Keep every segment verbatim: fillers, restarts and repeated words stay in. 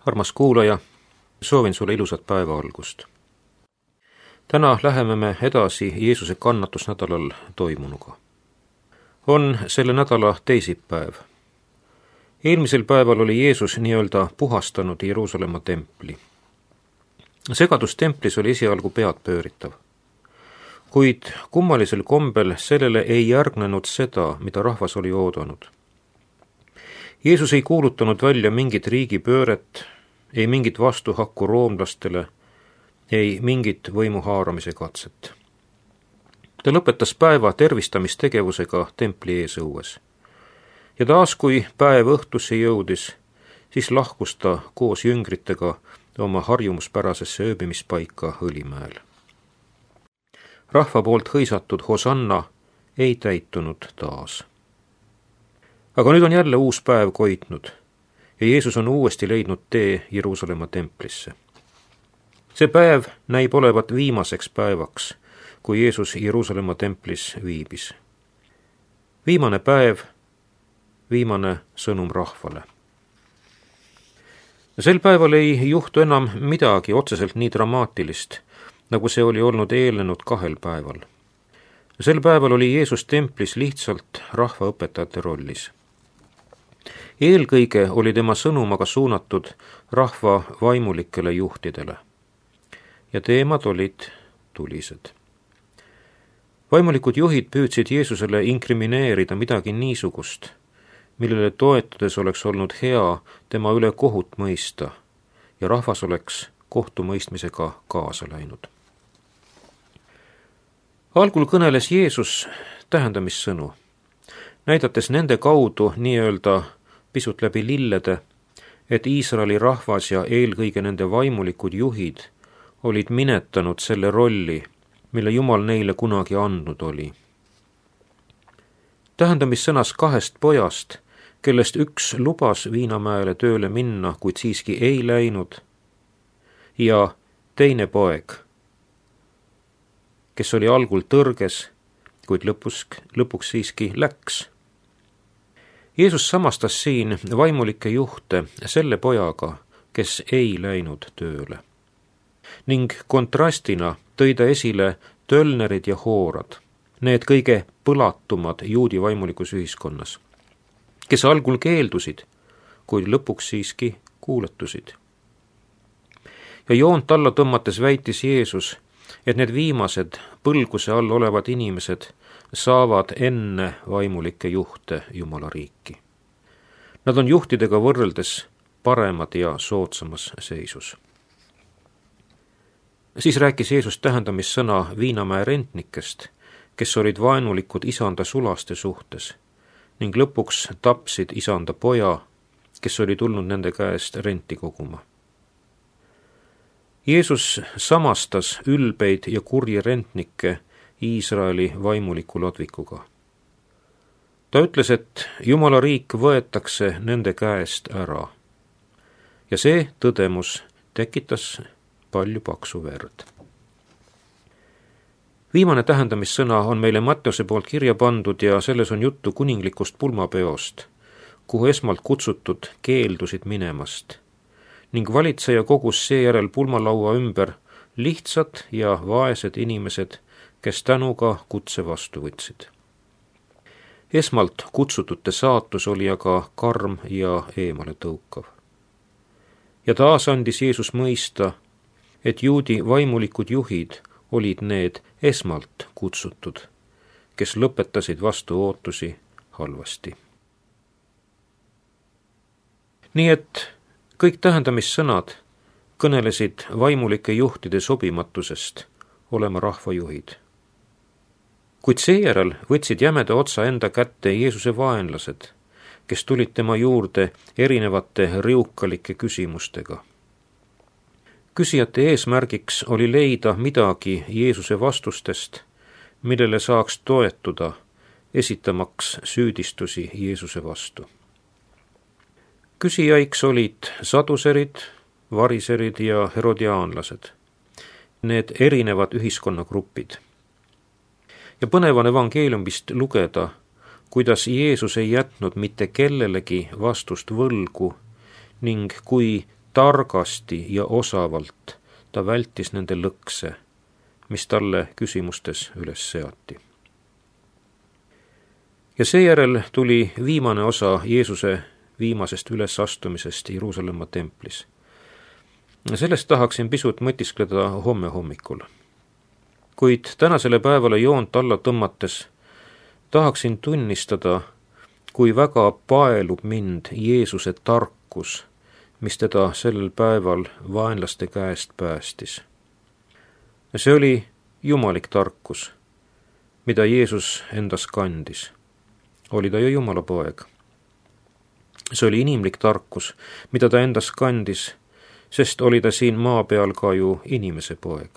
Armas kuulaja, soovin sulle ilusat päeva algust. Täna läheme me edasi Jeesuse kannatusnädalal toimunuga. On selle nädala teisipäev. Eelmisel päeval oli Jeesus nii-öelda puhastanud Jeruusalemma templi. Segadus templis oli esialgu pead pööritav. Kuid kummalisel kombel sellele ei järgnenud seda, mida rahvas oli oodanud. Jeesus ei kuulutanud välja mingit riigipööret, ei mingit vastuhakku roomlastele, ei mingit võimu haaramise katset. Ta lõpetas päeva tervistamistegevusega templi eesõues. Ja taas, kui päev õhtusse jõudis, siis lahkus ta koos jüngritega oma harjumuspärasesse ööbimispaika Õlimäel. Rahva poolt hõisatud hosanna ei täitunud taas. Aga nüüd on jälle uus päev koitnud ja Jeesus on uuesti leidnud tee Jeruusalemma templisse. See päev näib olevat viimaseks päevaks, kui Jeesus Jeruusalemma templis viibis. Viimane päev, viimane sõnum rahvale. Sel päeval ei juhtu enam midagi otseselt nii dramaatilist, nagu see oli olnud eelnenud kahel päeval. Sel päeval oli Jeesus templis lihtsalt rahvaõpetajate rollis. Eelkõige oli tema sõnum aga suunatud rahva vaimulikele juhtidele. Ja teemad olid tulised. Vaimulikud juhid püüdsid Jeesusele inkrimineerida midagi niisugust, millele toetudes oleks olnud hea tema üle kohut mõista ja rahvas oleks kohtumõistmisega kaasa läinud. Algul kõneles Jeesus tähendamissõnu, näidates nende kaudu nii-öelda pisut läbi lillede, et Iisraeli rahvas ja eelkõige nende vaimulikud juhid olid minetanud selle rolli, mille Jumal neile kunagi andnud oli. Tähendamissõnas kahest pojast, kellest üks lubas Viinamäele tööle minna, kuid siiski ei läinud, ja teine poeg, kes oli algul tõrges, kuid lõpus, lõpuks siiski läks. Jeesus samastas siin vaimulikke juhte selle pojaga, kes ei läinud tööle. Ning kontrastina tõi ta esile tölnerid ja hoorad, need kõige põlatumad juudi vaimulikus ühiskonnas, kes algul keeldusid, kuid lõpuks siiski kuuletusid. Ja joont alla tõmmates väitis Jeesus, et need viimased põlguse all olevad inimesed saavad enne vaimulikke juhte Jumala riiki. Nad on juhtidega võrreldes paremad ja soodsamas seisus. Siis rääkis Jeesus tähendamissõna Viinamäe rentnikest, kes olid vaenulikud isanda sulaste suhtes ning lõpuks tapsid isanda poja, kes oli tulnud nende käest renti koguma. Jeesus samastas ülbeid ja kurji rentnikke Iisraeli vaimuliku ladvikuga. Ta ütles, et Jumala riik võetakse nende käest ära. Ja see tõdemus tekitas palju paksu verd. Viimane tähendamissõna on meile Matteuse poolt kirja pandud ja selles on juttu kuninglikust pulmapeost, kuhu esmalt kutsutud keeldusid minemast ning valitseja kogus seejärel pulmalaua ümber lihtsad ja vaesed inimesed, kes tänuga kutse vastu võtsid. Esmalt kutsutute saatus oli aga karm ja eemale tõukav. Ja taas andis Jeesus mõista, et juudi vaimulikud juhid olid need esmalt kutsutud, kes lõpetasid vastu ootusi halvasti. Nii et kõik tähendamissõnad kõnelesid vaimulike juhtide sobimatusest olema rahvajuhid. Kuid seejärel võtsid jämeda otsa enda kätte Jeesuse vaenlased, kes tulid tema juurde erinevate riukalike küsimustega. Küsijate eesmärgiks oli leida midagi Jeesuse vastustest, millele saaks toetuda, esitamaks süüdistusi Jeesuse vastu. Küsijaiks olid saduserid, variserid ja herodiaanlased, need erinevad ühiskonnagrupid. Ja põnev on evangeeliumist lugeda, kuidas Jeesus ei jätnud mitte kellelegi vastust võlgu ning kui targasti ja osavalt ta vältis nende lõkse, mis talle küsimustes üles seati. Ja seejärel tuli viimane osa Jeesuse viimasest ülesastumisest Jeruusalemma templis. Sellest tahaksin pisut mõtiskleda homme hommikul. Kuid tänasele päevale joont alla tõmmates tahaksin tunnistada, kui väga paelub mind Jeesuse tarkus, mis teda sellel päeval vaenlaste käest päästis. See oli jumalik tarkus, mida Jeesus endas kandis. Oli ta ju Jumala poeg. See oli inimlik tarkus, mida ta endas kandis, sest oli ta siin maa peal ka ju inimese poeg.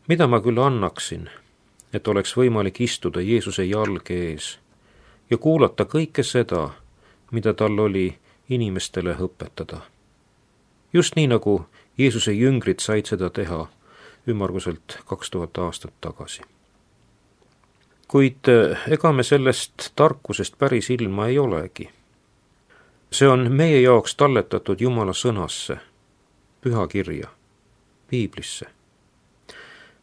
Mida ma küll annaksin, et oleks võimalik istuda Jeesuse jalge ees ja kuulata kõike seda, mida tal oli inimestele õpetada. Just nii, nagu Jeesuse jüngrid said seda teha ümmarguselt kaks tuhat aastat tagasi. Kuid ega me sellest tarkusest päris ilma ei olegi. See on meie jaoks talletatud Jumala sõnasse, pühakirja, piiblisse.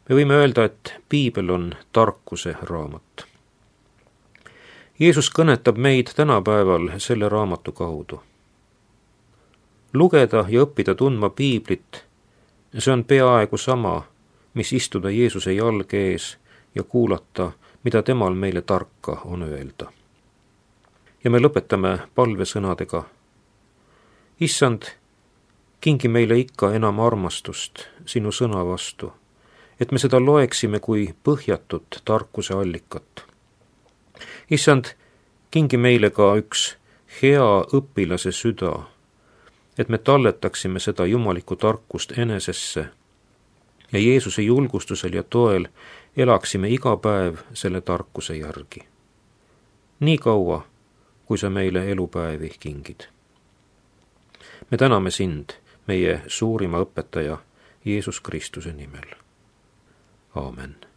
Me võime öelda, et piibel on tarkuse raamat. Jeesus kõnetab meid tänapäeval selle raamatu kaudu. Lugeda ja õppida tundma piiblit, see on peaaegu sama, mis istuda Jeesuse jalge ees ja kuulata, mida temal meile tarka on öelda. Ja me lõpetame palvesõnadega. Issand, kingi meile ikka enam armastust sinu sõna vastu, et me seda loeksime kui põhjatut tarkuse allikat. Issand, kingi meile ka üks hea õpilase süda, et me talletaksime seda jumalikku tarkust enesesse ja Jeesuse julgustusel ja toel elaksime iga päev selle tarkuse järgi. Nii kaua, kui sa meile elupäevi kingid. Me täname sind, meie suurima õpetaja, Jeesus Kristuse nimel. Aamen.